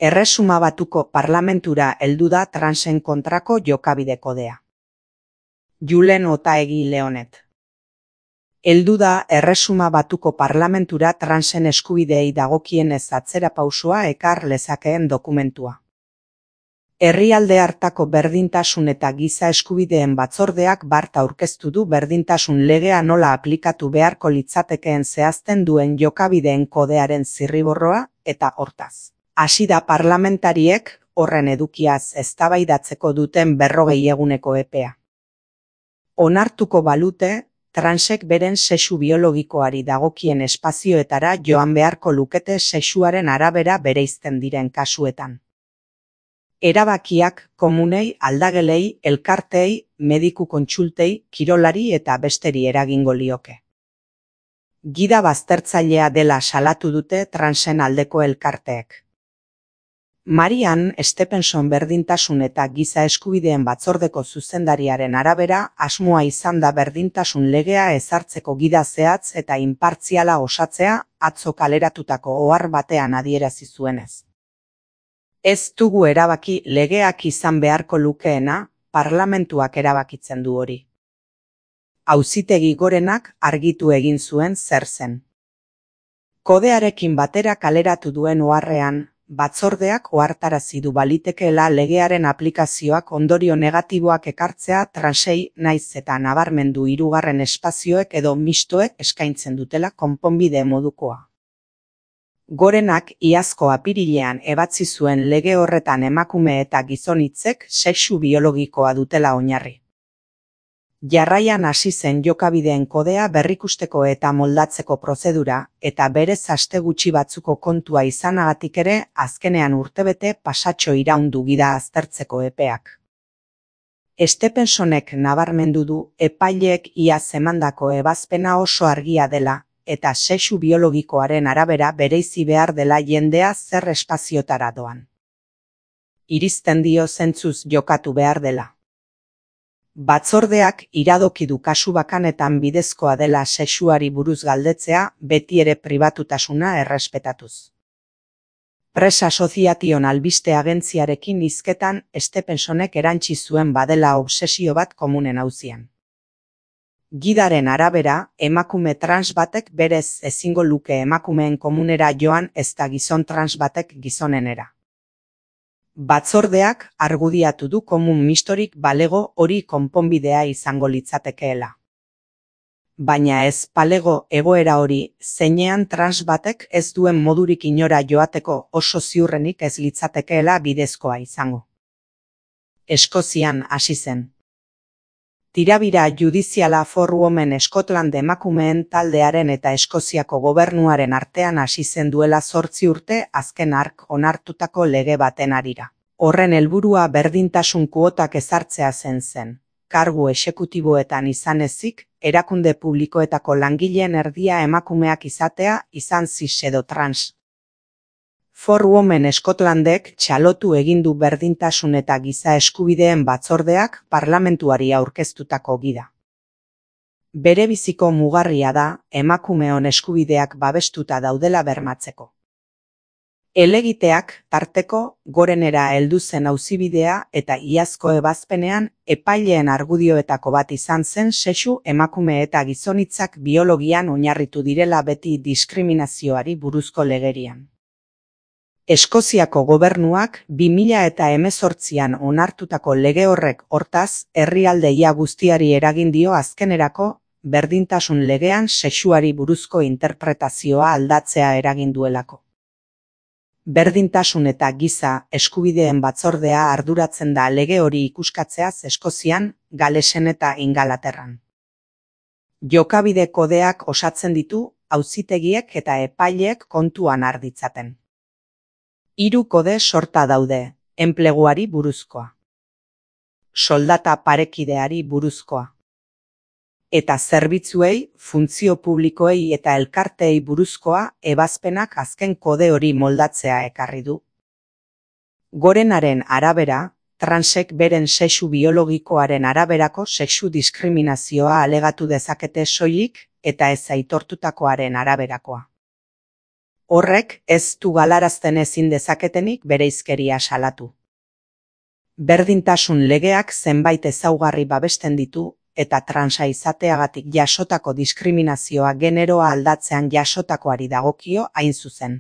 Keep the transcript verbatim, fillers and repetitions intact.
Erresuma Batuko Parlamentura heldu da transen kontrako jokabide kodea. Julen Otaegi Leonet. Heldu da Erresuma Batuko Parlamentura transen eskubideei dagokienez atzerapausoa ekar lezakeen dokumentua. Herrialde hartako berdintasun eta giza eskubideen batzordeak bart aurkeztu du berdintasun legea nola aplikatu beharko litzatekeen zehazten duen jokabideen kodearen zirriborroa eta hortaz. Hasi da parlamentariek horren edukiaz eztabaidatzeko duten berrogei eguneko epea. Onartuko balute, transek beren sexu biologikoari dagokien espazioetara joan beharko lukete sexuaren arabera bereizten diren kasuetan. Erabakiak komunei, aldagelei, elkartei, mediku kontsultei, kirolari eta besteri eragingo lioke. Gida baztertzailea dela salatu dute transen aldeko elkarteek. Marian Stephenson berdintasun eta giza eskubideen batzordeko zuzendariaren arabera asmoa izan da berdintasun legea ezartzeko gida zehatz eta inpartziala osatzea atzo kaleratutako ohar batean adierazi zuenez. Ez dugu erabaki legeak izan beharko lukeena, parlamentuak erabakitzen du hori. Auzitegi Gorenak argitu egin zuen zer zen. Kodearekin batera kaleratu duen oharrean, batzordeak ohartarazi du balitekeela legearen aplikazioak ondorio negatiboak ekartzea transei naiz eta nabarmendu hirugarren espazioek edo mistoek eskaintzen dutela konponbide modukoa. Gorenak iazko apirilean ebatzi zuen lege horretan emakume eta gizon hitzek sexu biologikoa dutela oinarri. Jarraian hasi zen jokabideen kodea berrikusteko eta moldatzeko prozedura, eta berez aste gutxi batzuko kontua izanagatik ere azkenean urtebete pasatxo iraundu gida aztertzeko epeak. Stephensonek nabarmendu du epaileek iaz emandako ebazpena oso argia dela, eta sexu biologikoaren arabera bereizi behar dela jendea zer espaziotara doan. Iristen dio zentzuz jokatu behar dela. Batzordeak iradoki du kasu bakanetan bidezkoa dela sexuari buruz galdetzea beti ere pribatutasuna errespetatuz. Press Association albiste agentziarekin hizketan Stephensonek erantsi zuen badela obsesio bat komunen auzian. Gidaren arabera, emakume trans batek berez ezingo luke emakumeen komunera joan ezta gizon trans batek gizonenera. Batzordeak argudiatu du komun mistorik balego hori konponbidea izango litzatekeela. Baina ez balego egoera hori zeinean trans batek ez duen modurik inora joateko oso ziurrenik ez litzatekeela bidezkoa izango. Eskozian hasi zen. Tirabira judiziala For Women Scotland emakumeen taldearen eta Eskoziako gobernuaren artean hasi zen duela zortzi urte azken hark onartutako lege baten harira. Horren helburua berdintasun kuotak ezartzea zen zen. Kargu exekutiboetan izan ezik, erakunde publikoetako langileen erdia emakumeak izatea izan cis edo trans. For Women Scotlandek txalotu egin du berdintasun eta giza eskubideen batzordeak parlamentuari aurkeztutako gida. Berebiziko mugarria da emakumeon eskubideak babestuta daudela bermatzeko. Helegiteak tarteko Gorenera heldu zen auzibidea eta iazko ebazpenean epaileen argudioetako bat izan zen sexu emakume eta gizonitzak biologian oinarritu direla beti diskriminazioari buruzko legerian. Eskoziako gobernuak bi mila hemezortzian onartutako lege horrek hortaz herrialde ia guztiari eragin dio azkenerako berdintasun legean sexuari buruzko interpretazioa aldatzea eragin duelako. Berdintasun eta giza eskubideen batzordea arduratzen da lege hori ikuskatzeaz Eskozian, Galesen eta Ingalaterran. Jokabide kodeak osatzen ditu auzitegiek eta epaileek kontuan har ditzaten. Hiru kode sorta daude, enpleguari buruzkoa. Soldata parekideari buruzkoa. Eta zerbitzuei, funtzio publikoei eta elkarteei buruzkoa ebazpenak azken kode hori moldatzea ekarri du. Gorenaren arabera, transek beren sexu biologikoaren araberako sexu diskriminazioa alegatu dezakete soilik eta ez aitortutakoaren araberakoa. Horrek ez du galarazten ezin dezaketenik bereizkeria salatu. Berdintasun legeak zenbait ezaugarri babesten ditu eta transa izateagatik jasotako diskriminazioa generoa aldatzean jasotakoari dagokio hain zuzen.